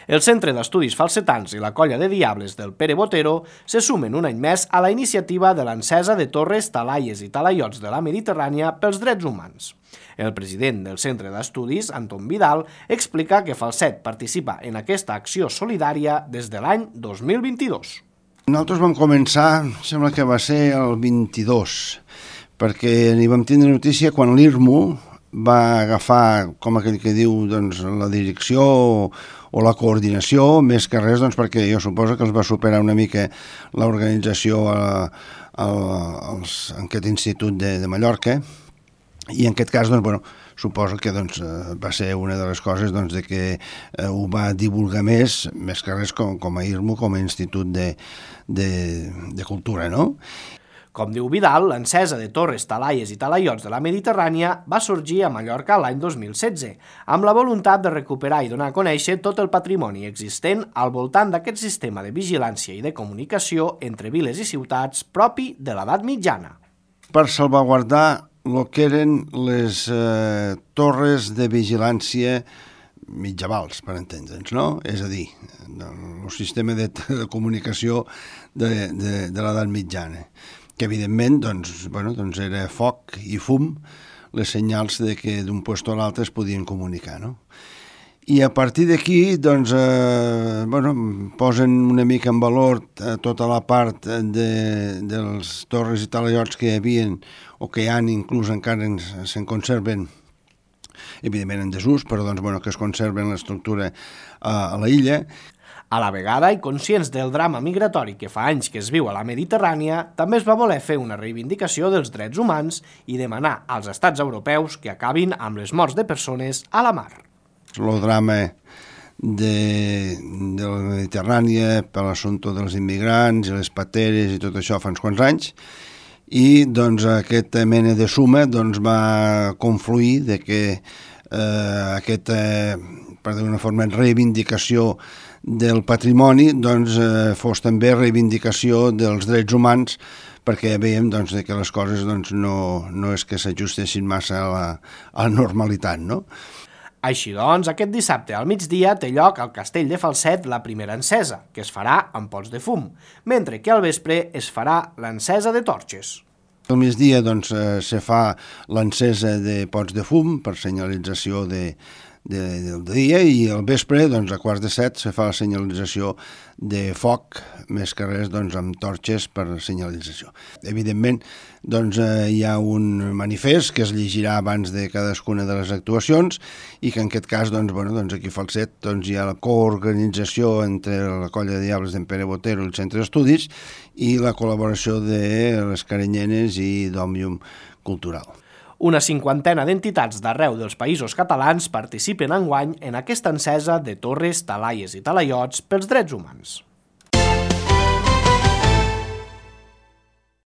El Centre d'Estudis Falsetans i la Colla de Diables del Pere Botero se sumen un any més a la iniciativa de l'encesa de torres, talaies i talaiots de la Mediterrània pels drets humans. El president del Centre d'Estudis, Anton Vidal, explica que Falset participa en aquesta acció solidària des de l'any 2022. Nosaltres vam començar, sembla que va ser el 22, perquè n'hi vam tindre notícia quan l'IRMU va agafar, com aquell que diu, doncs, la direcció o la coordinació, més que res, doncs, perquè jo suposo que els va superar una mica l'organització en aquest institut de Mallorca, i en aquest cas, doncs, bueno, suposo que doncs, va ser una de les coses doncs, de que ho va divulgar més que res com a IRMU, com a institut de cultura, no? Com diu Vidal, l'encesa de torres, talaies i talaiots de la Mediterrània va sorgir a Mallorca l'any 2016, amb la voluntat de recuperar i donar a conèixer tot el patrimoni existent al voltant d'aquest sistema de vigilància i de comunicació entre viles i ciutats propi de l'edat mitjana. Per salvaguardar el que eren les torres de vigilància mitjavals, per entendre'ns, no? És a dir, el sistema de comunicació de l'edat mitjana, que evidentment doncs era foc i fum les senyals de que d'un lloc a l'altre es podien comunicar, no? I a partir d'aquí doncs, posen una mica en valor tota la part dels torres i talaiots que hi havia o que hi ha, inclús encara se'n conserven, evidentment en desús, però que es conserven l'estructura a la illa. A la vegada, i conscients del drama migratori que fa anys que es viu a la Mediterrània, també es va voler fer una reivindicació dels drets humans i demanar als estats europeus que acabin amb les morts de persones a la mar. El drama de la Mediterrània per l'assumpte dels immigrants i les pateres i tot això fa uns quants anys, i doncs aquesta mena de suma va confluir de que aquesta, per dir-ho d'una forma, reivindicació del patrimoni fos també reivindicació dels drets humans, perquè veiem que les coses no és que s'ajustessin massa a la normalitat, no? Així doncs, aquest dissabte al migdia té lloc al Castell de Falset la primera encesa, que es farà amb pots de fum, mentre que al vespre es farà l'encesa de torxes. Al migdia se fa l'encesa de pots de fum per senyalització del dia, i al vespre, a quarts de 7, se fa la senyalització de foc, més que res amb torxes per senyalització. Evidentment, hi ha un manifest que es llegirà abans de cadascuna de les actuacions i que en aquest cas, aquí a Falset, hi ha la coorganització entre la Colla de Diables d'en Pere Botero i el Centre d'Estudis i la col·laboració de les Caranyenes i d'Òmnium Cultural. Una cinquantena d'entitats d'arreu dels països catalans participen enguany en aquesta encesa de torres, talaies i talaiots pels drets humans.